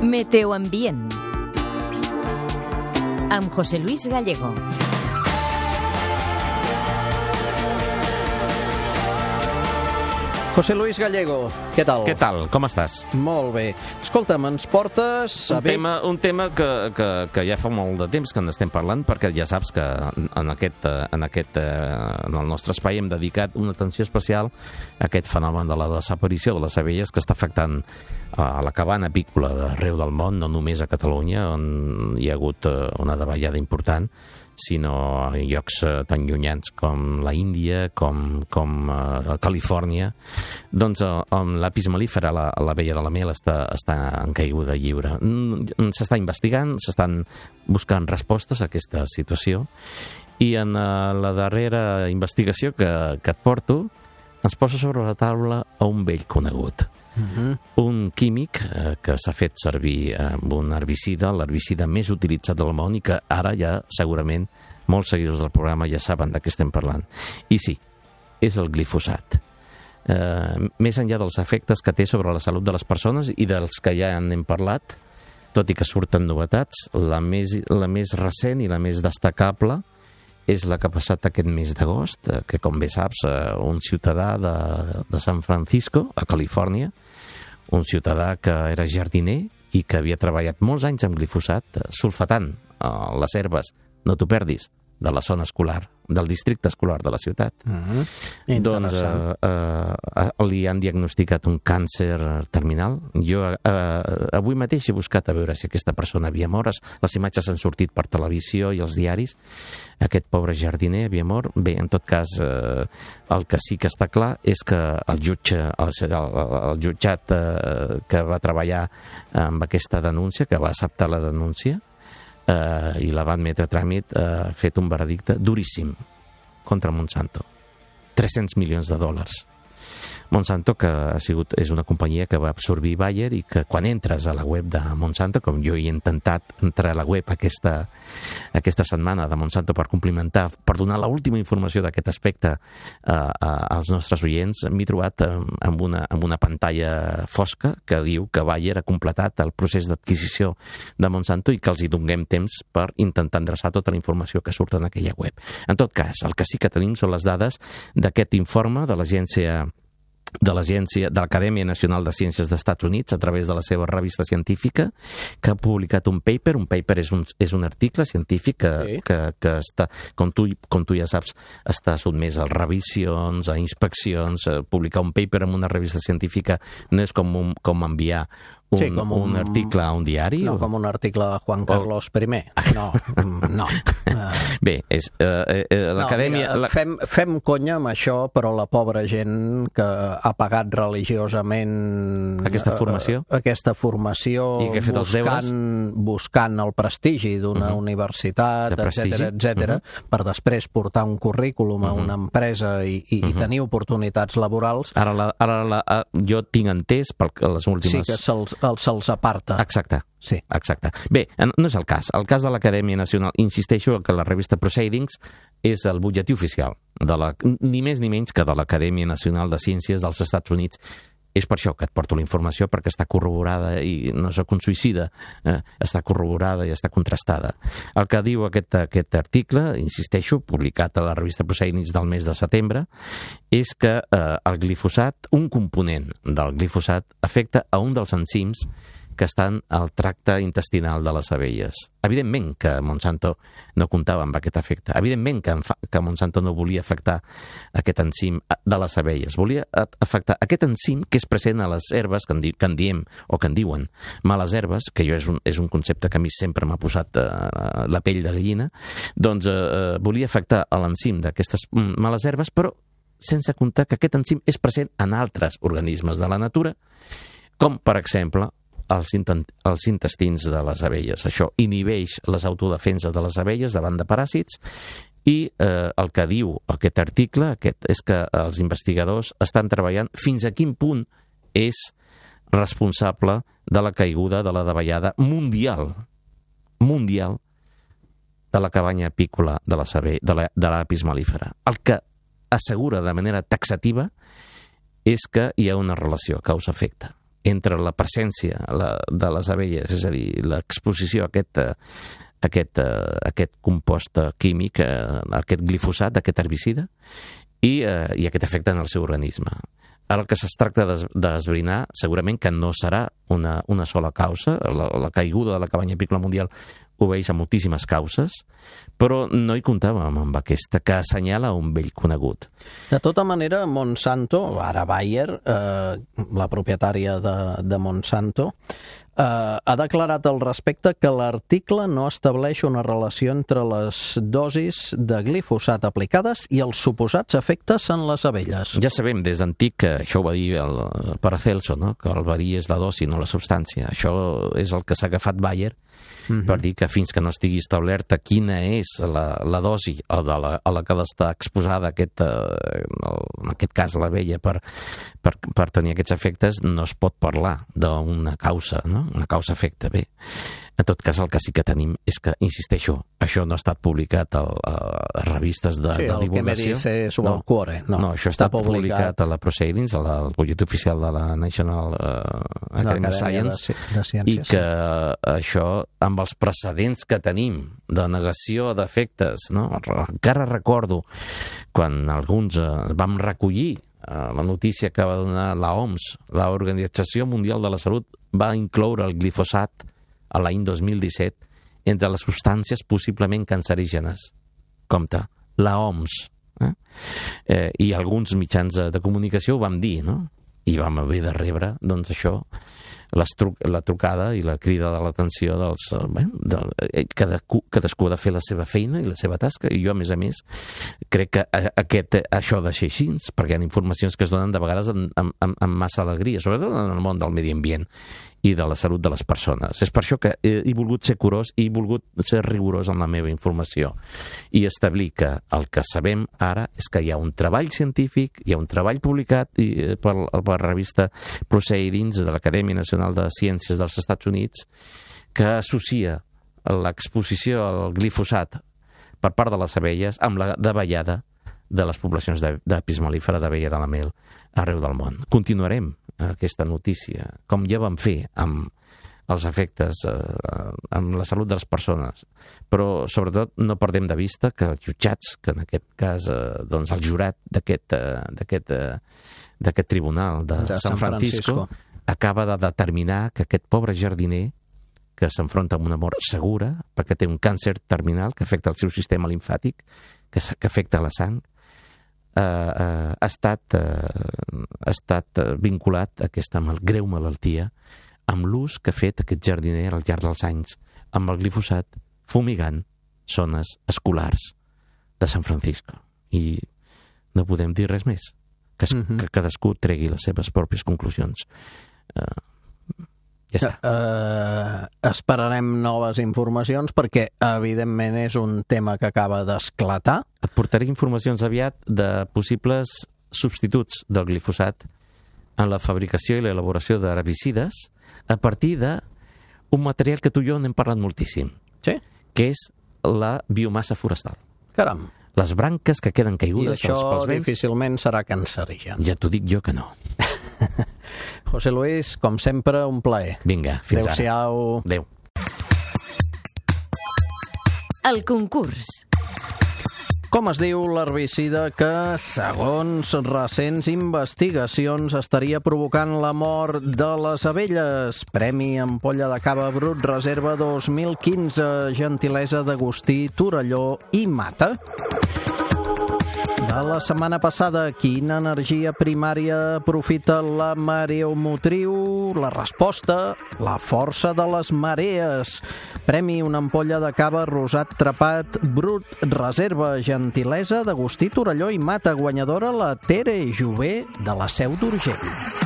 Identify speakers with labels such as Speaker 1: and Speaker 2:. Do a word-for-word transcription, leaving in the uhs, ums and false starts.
Speaker 1: Meteoambient amb José Luis Gallego.
Speaker 2: José Luis Gallego, què tal?
Speaker 3: Què tal? Com estàs?
Speaker 2: Molt bé. Escolta'm, ens portes a
Speaker 3: Un tema, un tema que, que, que ja fa molt de temps que en estem parlant, perquè ja saps que en aquest, en aquest en el nostre espai hem dedicat una atenció especial a aquest fenomen de la desaparició de les abelles que està afectant a la cabana apícola d'arreu del món, no només a Catalunya, on hi ha hagut una davallada important, sinó a llocs tan llunyans com la Índia, com, com uh, Califòrnia. Doncs uh, amb l'apis mellifera, la, l'abella de la mel, està, està en caiguda lliure. Mm, s'està investigant, s'estan buscant respostes a aquesta situació, i en uh, la darrera investigació que, que et porto ens posa sobre la taula a un vell conegut. Uh-huh. Un químic eh, que s'ha fet servir amb un herbicida, l'herbicida més utilitzat del món, i que ara ja segurament molts seguidors del programa ja saben de què estem parlant. I sí, és el glifosat. Eh, més enllà dels efectes que té sobre la salut de les persones i dels que ja en hem parlat, tot i que surten novetats, la més, la més recent i la més destacable és la que ha passat aquest mes d'agost, que, com bé saps, un ciutadà de, de San Francisco, a Califòrnia, un ciutadà que era jardiner i que havia treballat molts anys amb glifosat, sulfatant uh, les herbes, no t'ho perdis, de la zona escolar, del districte escolar de la ciutat. Uh-huh. Doncs uh, uh, li han diagnosticat un càncer terminal. Jo uh, avui mateix he buscat a veure si aquesta persona havia mort. Les imatges han sortit per televisió i els diaris. Aquest pobre jardiner havia mort. Bé, en tot cas, uh, el que sí que està clar és que el jutge, el, el, el jutjat uh, que va treballar amb aquesta denúncia, que va acceptar la denúncia, Uh, i la va admetre a tràmit, ha uh, fet un veredicte duríssim contra Monsanto. tres-cents milions de dòlars. Monsanto, que ha sigut, és una companyia que va absorbir Bayer, i que quan entres a la web de Monsanto, com jo he intentat entrar a la web aquesta, aquesta setmana de Monsanto per complimentar, per donar l'última informació d'aquest aspecte uh, als nostres oients, m'he trobat um, amb, una, amb una pantalla fosca que diu que Bayer ha completat el procés d'adquisició de Monsanto i que els hi donem temps per intentar endreçar tota la informació que surt en aquella web. En tot cas, el que sí que tenim són les dades d'aquest informe de l'agència de l'agència de l'Acadèmia Nacional de Ciències dels Estats Units a través de la seva revista científica, que ha publicat un paper. Un paper és un, és un article científic que, sí. que, que està, com tu, com tu ja saps, està sotmès a revisions, a inspeccions. A publicar un paper en una revista científica no és com, un, com enviar un, sí, com un, un article a un diari?
Speaker 2: No,
Speaker 3: o...
Speaker 2: com un article de Juan Carlos o... I. No, no.
Speaker 3: Bé, és, eh, eh, l'Acadèmia...
Speaker 2: No, mira, fem, fem conya amb això, però la pobra gent que ha pagat religiosament...
Speaker 3: Aquesta formació?
Speaker 2: Eh, aquesta formació, buscant, buscant el prestigi d'una uh-huh. universitat, etcètera, etcètera, uh-huh. per després portar un currículum uh-huh. a una empresa i, i, uh-huh. i tenir oportunitats laborals.
Speaker 3: Ara, la, ara la, jo tinc entès per les últimes...
Speaker 2: Sí, que se'ls se'ls aparta.
Speaker 3: Exacte.
Speaker 2: Sí.
Speaker 3: Exacte. Bé, no és el cas. El cas de l'Acadèmia Nacional, insisteixo que la revista Proceedings és el butlletí oficial, de la, ni més ni menys que de l'Acadèmia Nacional de Ciències dels Estats Units. És per això que et porto la informació, perquè està corroborada, i no soc un suïcida, eh, està corroborada i està contrastada. El que diu aquest, aquest article, insisteixo, publicat a la revista Proceedings del mes de setembre, és que eh, el glifosat, un component del glifosat, afecta a un dels enzims que estan al tracte intestinal de les abelles. Evidentment que Monsanto no comptava amb aquest efecte. Evidentment que, que Monsanto no volia afectar aquest enzim de les abelles. Volia afectar aquest enzim que és present a les herbes, que en, di, que en diem, o que en diuen males herbes, que jo és un, és un concepte que a mi sempre m'ha posat eh, la pell de gallina, doncs eh, volia afectar l'enzim d'aquestes males herbes, però sense comptar que aquest enzim és present en altres organismes de la natura, com, per exemple, Els, els intestins de les abelles. Això inhibeix les autodefenses de les abelles davant de paràsits, i eh, el que diu aquest article aquest, és que els investigadors estan treballant fins a quin punt és responsable de la caiguda de la davallada mundial mundial de la cabanya apícola de la saber, de la, de l'apis mellifera. El que assegura de manera taxativa és que hi ha una relació causa-efecte. entre la presència la, de les abelles, és a dir, l'exposició a aquest, aquest, aquest compost químic, aquest glifosat, aquest herbicida, i, i aquest efecte en el seu organisme. Ara el que es tracta d'esbrinar segurament que no serà una, una sola causa, la, la caiguda de la cabanya apícola mundial obeeix a moltíssimes causes, però no hi comptàvem amb aquesta, que assenyala un vell conegut.
Speaker 2: De tota manera, Monsanto, ara Bayer, eh, la propietària de, de Monsanto, eh, ha declarat al respecte que l'article no estableix una relació entre les dosis de glifosat aplicades i els suposats efectes en les abelles.
Speaker 3: Ja sabem des d'antic que això ho va dir el Paracelso, no? Que el verí és la dosi, no la substància. Això és el que s'ha agafat Bayer, Mm-hmm. per dir que fins que no estigui establerta quina és la, la dosi a la, a la que ha d'estar exposada aquest, eh, en aquest cas l'abella per, per, per tenir aquests efectes, no es pot parlar d'una causa, no? Una causa-efecte. Bé, en tot cas el que sí que tenim és que, insisteixo, això no ha estat publicat a, a revistes de,
Speaker 2: sí,
Speaker 3: de divulgació. Sí, el que me
Speaker 2: dice su no, cuore. No,
Speaker 3: no, això ha estat publicat, publicat a la Proceedings, al butlletí oficial de la National uh, Academy of Science,
Speaker 2: de, de Ciències,
Speaker 3: i que sí. Això, amb els precedents que tenim de negació d'efectes, no? Encara recordo quan alguns uh, vam recollir uh, la notícia que va donar la O M S, l'Organització Mundial de la Salut, va incloure el glifosat a l'any dos mil disset entre les substàncies possiblement cancerígenes. Compte, la O M S. Eh? Eh, I alguns mitjans de comunicació ho vam dir, no? I vam haver de rebre, doncs això, Tru la trucada i la crida de l'atenció dels... Bé, de, cadascú, cadascú ha de fer la seva feina i la seva tasca, i jo, a més a més, crec que aquest, això ha de ser així, perquè hi ha informacions que es donen de vegades amb, amb, amb massa alegria, sobretot en el món del medi ambient i de la salut de les persones. És per això que he volgut ser curós i he volgut ser rigorós en la meva informació i establir que el que sabem ara és que hi ha un treball científic, hi ha un treball publicat per, per la revista Proceedings de l'Acadèmia Nacional de Ciències dels Estats Units que associa l'exposició al glifosat per part de les abelles amb la davallada de les poblacions d'apis mellífera d'abella de la mel arreu del món. Continuarem aquesta notícia, com ja vam fer amb els efectes eh, amb la salut de les persones, però sobretot no perdem de vista que els jutjats, que en aquest cas eh, doncs el jurat d'aquest eh, d'aquest eh, d'aquest tribunal de, de San Francisco, Francisco acaba de determinar que aquest pobre jardiner que s'enfronta amb una mort segura perquè té un càncer terminal que afecta el seu sistema limfàtic, que, que afecta la sang, Uh, uh, ha estat, uh, ha estat uh, vinculat a aquesta mal, greu malaltia amb l'ús que ha fet aquest jardiner al llarg dels anys amb el glifosat fumigant zones escolars de San Francisco. I no podem dir res més, que, es, mm-hmm. que cadascú tregui les seves pròpies conclusions. Uh, ja està.
Speaker 2: Uh, esperarem noves informacions perquè, evidentment, és un tema que acaba d'esclatar.
Speaker 3: Et portaré informacions aviat de possibles substituts del glifosat en la fabricació i l'elaboració d'herbicides a partir d'un material que tu i jo n'hem parlat moltíssim,
Speaker 2: sí?
Speaker 3: Que és la biomassa forestal.
Speaker 2: Caram.
Speaker 3: Les branques que queden caigudes
Speaker 2: pels vents. I
Speaker 3: això
Speaker 2: difícilment serà cancerigen.
Speaker 3: Ja t'ho dic jo que no.
Speaker 2: José Luis, com sempre, un plaer.
Speaker 3: Vinga, fins
Speaker 2: Adéu-siau.
Speaker 3: ara. Adéu.
Speaker 1: El concurs.
Speaker 2: Com es diu l'herbicida que, segons recents investigacions, estaria provocant la mort de les abelles? Premi Ampolla de Cava Brut Reserva dos mil quinze, gentilesa d'Agustí Torelló i Mata. De la setmana passada, quina energia primària aprofita la mareomotriu? La resposta, la força de les marees. Premi una ampolla de cava rosat trepat brut reserva, gentilesa d'Agustí Torelló i Mata, guanyadora la Tere Jové de la Seu d'Urgell.